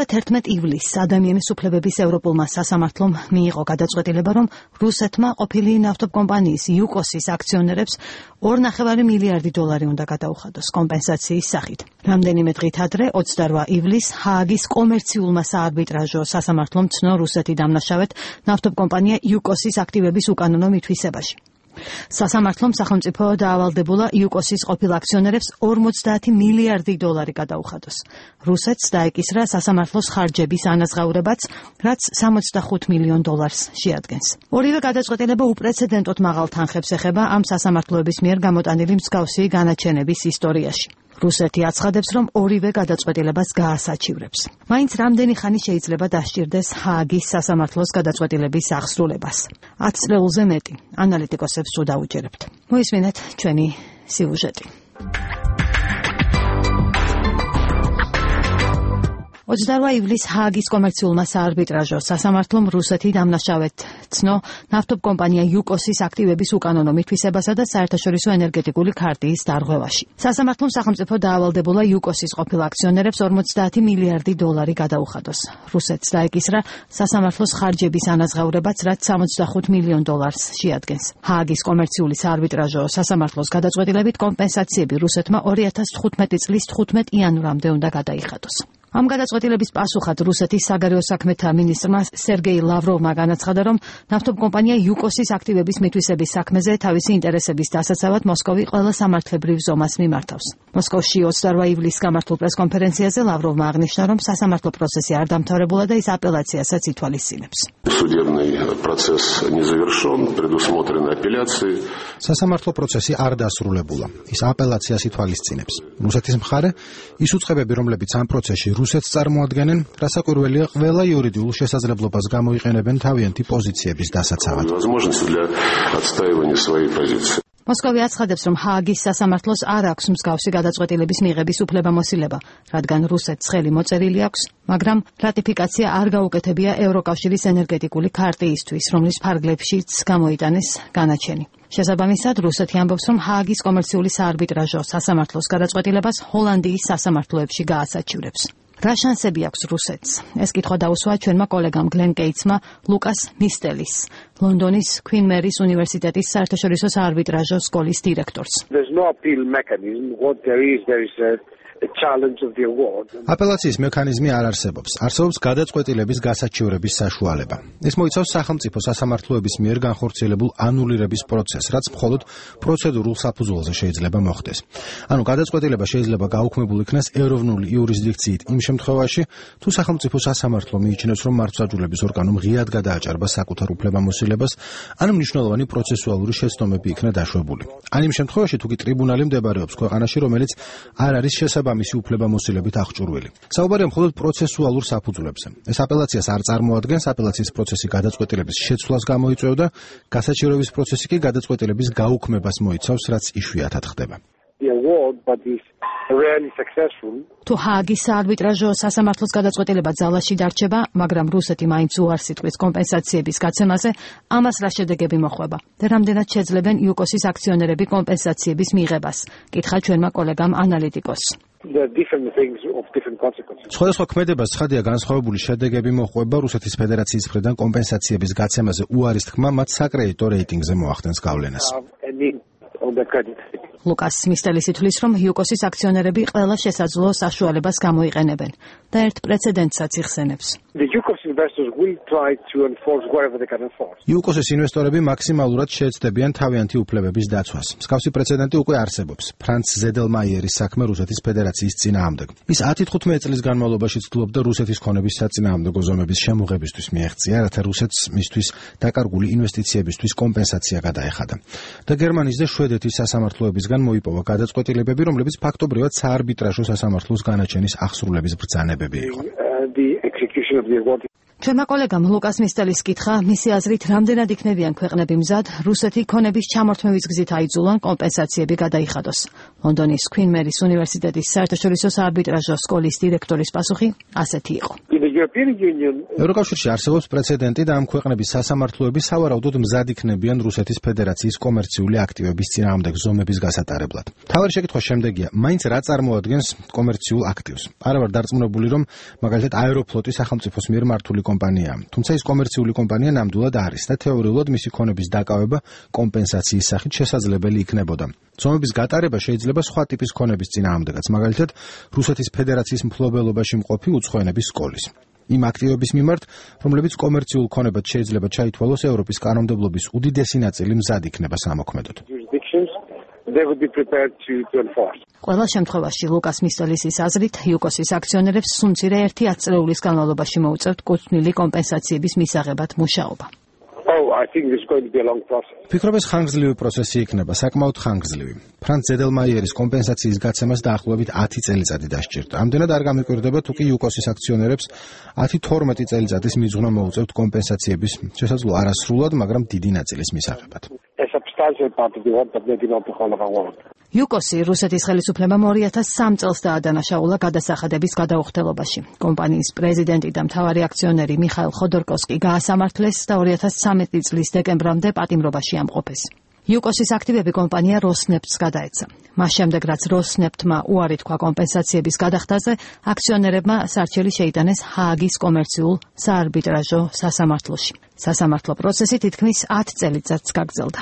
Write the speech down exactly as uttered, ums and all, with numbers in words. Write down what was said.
თერთმეტ ივლისს ადამიანის უფლებების ევროპულმა სასამართლომ მიიღო გადაწყვეტილება, რომ რუსეთმა ყოფილი ნავთობკომპანიის იუკოსის აქციონერებს ორ ნახევარი მილიარდი დოლარი უნდა გადაუხადოს კომპენსაციის სახით. რამდენიმე დღით ადრე, ოცდაორ ივლისს ჰააგის კომერციულმა საარბიტრაჟო სასამართლომ ცნო რუსეთი დამნაშავედ ნავთობკომპანია იუკოსის აქტივების უკანონო მითვისებაში. სასამართლომ სახელმწიფო დაავალდებულა იუკოსის ყოფილ აქციონერებს ორმოცდაათი მილიარდი დოლარი გადაუხადოს. რუსეთს დაეკისრა სასამართლოს ხარჯების ანაზღაურებაც, რაც სამოცდახუთ მილიონ დოლარს შეადგენს. ორივე გადაწყვეტილება უპრეცედენტოდ მაღალ თანხებს ეხება ამ სასამართლოების მიერ გამოტანილი მსგავსი განაჩენების ისტორიაში. რუსეთი აცხადებს, რომ ორივე გადაწყვეტილებას გაასაჩივრებს. მაინც რამდენი ხანი შეიძლება დასჭირდეს ჰააგის სასამართლოს გადაწყვეტილების აღსრულებას? ათ წლეულზე მეტი. ანალიტიკოსებს თუ დაუჯერებთ. მოისმინეთ ჩვენი სიუჟეტი. ოცდაორ ივლისს ჰააგის კომერციულმა საარბიტრაჟო სასამართლომ რუსეთი დამნაშავედ ცნო ნავთობკომპანია იუკოსის აქტივების უკანონო მითვისებასა და საერთაშორისო ენერგეტიკული ქარტიის დარღვევაში. სასამართლომ სახელმწიფო დაავალდებულა იუკოსის ყოფილ აქციონერებს ორმოცდაათი მილიარდი დოლარი გადაუხადოს. რუსეთს დაეკისრა სასამართლოს ხარჯების ანაზღაურებაც, რაც სამოცდახუთ მილიონ დოლარს შეადგენს. ჰააგის კომერციული საარბიტრაჟო სასამართლოს გადაწყვეტილებით კომპენსაციები რუსეთმა ორი ათას თხუთმეტი წლის თხუთმეტ იანვრამდე უნდა გადაიხადოს. ამ გადაწყვეტილების პასუხად რუსეთის საგარეო საქმეთა მინისტრმა სერგეი ლავროვმა განაცხადა, რომ ნავთობკომპანია იუკოსის აქტივების მითვისების საქმეზე თავისი ინტერესების დასაცავად მოსკოვი ყველა სამართლებრივ ზომას მიმართავს. მოსკოვში ოცდაორ ივლისს გამართულ პრესკონფერენციაზე ლავროვმა აღნიშნა, რომ სასამართლო პროცესი არ დამთავრებულა და ის აპელაციასაც ითვალისწინებს. სასამართლო პროცესი არ დასრულებულა. ის აპელაციას ითვალისწინებს. რუსეთის მხარე ის უწყებები, რომლებიც ამ პროცესში რუსეთს წარმოადგენენ, რასაკვირველია, ყველა იურიდიულ შესაძლებლობას გამოიყენებენ თავიანთი პოზიციების დასაცავად. მოსკოვი აცხადებს, რომ ჰააგის სასამართლოს არ აქვს მსგავსი გადაწყვეტილების მიღების უფლებამოსილება, რადგან რუსეთს ხელი მოწერილი აქვს, მაგრამ რატიფიკაცია არ გაუკეთებია ევროკავშირის ენერგეტიკული ქარტიისთვის, რომლის ფარგლებშიც გამოიტანეს განაჩენი. შესაბამისად, რუსეთი ამბობს, რომ ჰააგის კომერციული საარბიტრაჟო სასამართლოს გადაწყვეტილებას ჰოლანდიის სასამართლოებში გაასაჩივრებს. რა შანსები აქვს რუსეთს? ეს კითხვა დაუსვა ჩვენმა კოლეგამ გლენ კეიცმა ლუკას მისტელის, ლონდონის Queen Mary's უნივერსიტეტის საერთაშორისო საარბიტრაჟო სკოლის დირექტორს. აპელაციის მექანიზმი არ არსებობს. არსებობს გადაწყვეტილების გასაჩივრების საშუალება. ეს მოიცავს სახელმწიფო სასამართლოების მიერ განხორციელებულ ანულირების პროცესს, რაც მხოლოდ პროცედურულ საფუძველზე შეიძლება მოხდეს. ანუ გადაწყვეტილება შეიძლება გაუქმებულ იქნას ეროვნული იურისდიქციით იმ შემთხვევაში, თუ სახელმწიფო სასამართლო მიიჩნევს, რომ მართლმსაჯულების ორგანომ ღიად გადააჭარბა საკუთარ უფლებამოსილებას, ან მნიშვნელოვანი პროცესუალური შეცდომები იქნა დაშვებული. ან იმ შემთხვევაში, თუ კი ტრიბუნალი მდებარეობს ქვეყანაში, რომელიც არ არის შესაბამისი ამისი უფლებამოსილებით აღჭურვილი. საუბარია მხოლოდ პროცესუალურ საფუძვლებზე. ეს აპელაციას არ წარმოადგენს, აპელაციის პროცესი გადაწყვეტილების შეცვლას გამოიწვევდა, გასაჩივრების პროცესი კი გადაწყვეტილების გაუქმებას მოიცავს, რაც იშვიათად ხდება. თუ ჰააგის საარბიტრაჟო სასამართლოს გადაწყვეტილება ძალაში დარჩება, მაგრამ რუსეთი მაინც უარს იტყვის კომპენსაციების გაცემაზე, ამას რა შედეგები მოხვება და რამდენად შეძლებენ იუკოსის აქციონერები კომპენსაციების მიღებას? კითხა ჩვენმა კოლეგამ ანალიტიკოსს. სხვადასხვა ქმედებას ცხადია განსხვავებული შედეგები მოჰყვება რუსეთის ფედერაციის მხრიდან კომპენსაციების გაცემაზე უარის თქმა მათ საკრედიტო რეიტინგზე მოახდენს გავლენას. ლუკას მისტელის ითვლის, რომ იუკოსის აქციონერები ყველა შესაძლო საშუალებას გამოიყენებენ და ერთ პრეცედენტსაც იხსენებს. იუკოსის ინვესტორები მაქსიმალურად შეეცდებიან თავიანთი უფლებების დაცვას. მსგავსი პრეცედენტი უკვე არსებობს. ფრანც ზედელმაიერის საქმე რუსეთის ფედერაციის წინააღმდეგ. ის ათი თხუთმეტი წლის განმავლობაში ცდილობდა რუსეთის ქონების საწინააღმდეგო ზომების შემოღებისთვის მიეღწია, რათა რუსეთს მისთვის დაკარგული ინვესტიციებისთვის კომპენსაცია გადაეხადა. და გერმანიის და შვედეთის სასამართლოებისგან მოიპოვა გადაწყვეტილებები, რომლებიც ფაქტობრივად საარბიტრაჟო სასამართლოს განაჩენის აღსრულების ბრძანებები იყო. ჩვენმა კოლეგამ ლუკას მისტელის კითხა, მისი აზრით, რამდენად იქნებიან ქვეყნები მზად რუსეთი ქონების ჩამორთმევის გზით აიძულონ კომპენსაციები გადაიხადოს. ლონდონის Queen Mary's უნივერსიტეტის საერთაშორისო საარბიტრაჟო სკოლის დირექტორის პასუხი ასეთი იყო. European Union. ევროკავშირში არსებობს პრეცედენტი და ამ ქვეყნების სასამართლოები სავარაუდოდ მზად იქნებიან რუსეთის ფედერაციის კომერციული აქტივების წინააღმდეგ ზომების გასატარებლად. თავარი შეკითხვა შემდეგია, მაინც რა წარმოადგენს კომერციულ აქტივს? არა ვარ დარწმუნებული, რომ მაგალითად აეროფლოტი სახელმწიფოს მიერ მართული კომპანიაა. თუმცა ის კომერციული კომპანია ნამდვილად არის და თეორიულად მისი ქონების დაკავება კომპენსაციის სახით შესაძლებელი იქნებოდა. ზომების გატარება შეიძლება სხვა ტიპის ქონების წინააღმდეგაც, მაგალითად რუსეთის ფედერაციის მფლობელობაში მყოფი უცხოენების სკოლის. იმ აქტივების მიმართ, რომლებიც კომერციულ ქონებად შეიძლება ჩაითვალოს ევროპის კანონმდებლობის უდიდესი ნაწილი მზად იქნება სამოქმედოდ. ყველა შემთხვევაში ლუკას მისტოლისის აზრით, იუკოსის აქციონერებს სულ ერთი ათწლეულის განმავლობაში მოუწევთ კუთვნილი კომპენსაციების მისაღებად მუშაობა. Oh, I think this is going to be a long process. ფიქრობ ეს ხანგრძლივი პროცესი იქნება, საკმაოდ ხანგრძლივი. ფრანც ზედელმაიერის კომპენსაციის გაცემას დაახლოებით ათი წელიწადი დასჭირდა. ამდენად არ გამიკვირდება, თუ კი იუკოსის აქციონერებს ათი თორმეტი წელიწადის მიძღვნა მოუწევთ კომპენსაციების შესაძლო არასრულად, მაგრამ დიდი ნაწილის მისაღებად. A substantial part of the work, but maybe not the whole of our work. იუკოსი რუსეთის ხელისუფლებამ ორი ათას სამ წელს დაადანაშაულა გადასახადების გადაუხდელობაში. კომპანიის პრეზიდენტი და მთავარი აქციონერი მიხაილ ხოდორკოვსკი გაასამართლეს და ორი ათას ცხრამეტი წლის დეკემბრამდე პატიმრობაში ამყოფეს. იუკოსის აქტივები კომპანია როსნეფტს გადაეცა. მას შემდეგ, რაც როსნეფტმა უარი თქვა კომპენსაციების გადახდაზე, აქციონერებმა სარჩელი შეიტანეს ჰააგის კომერციულ საარბიტრაჟო სასამართლოში. სასამართლო პროცესი თითქმის ათ წელიწადს გაგრძელდა.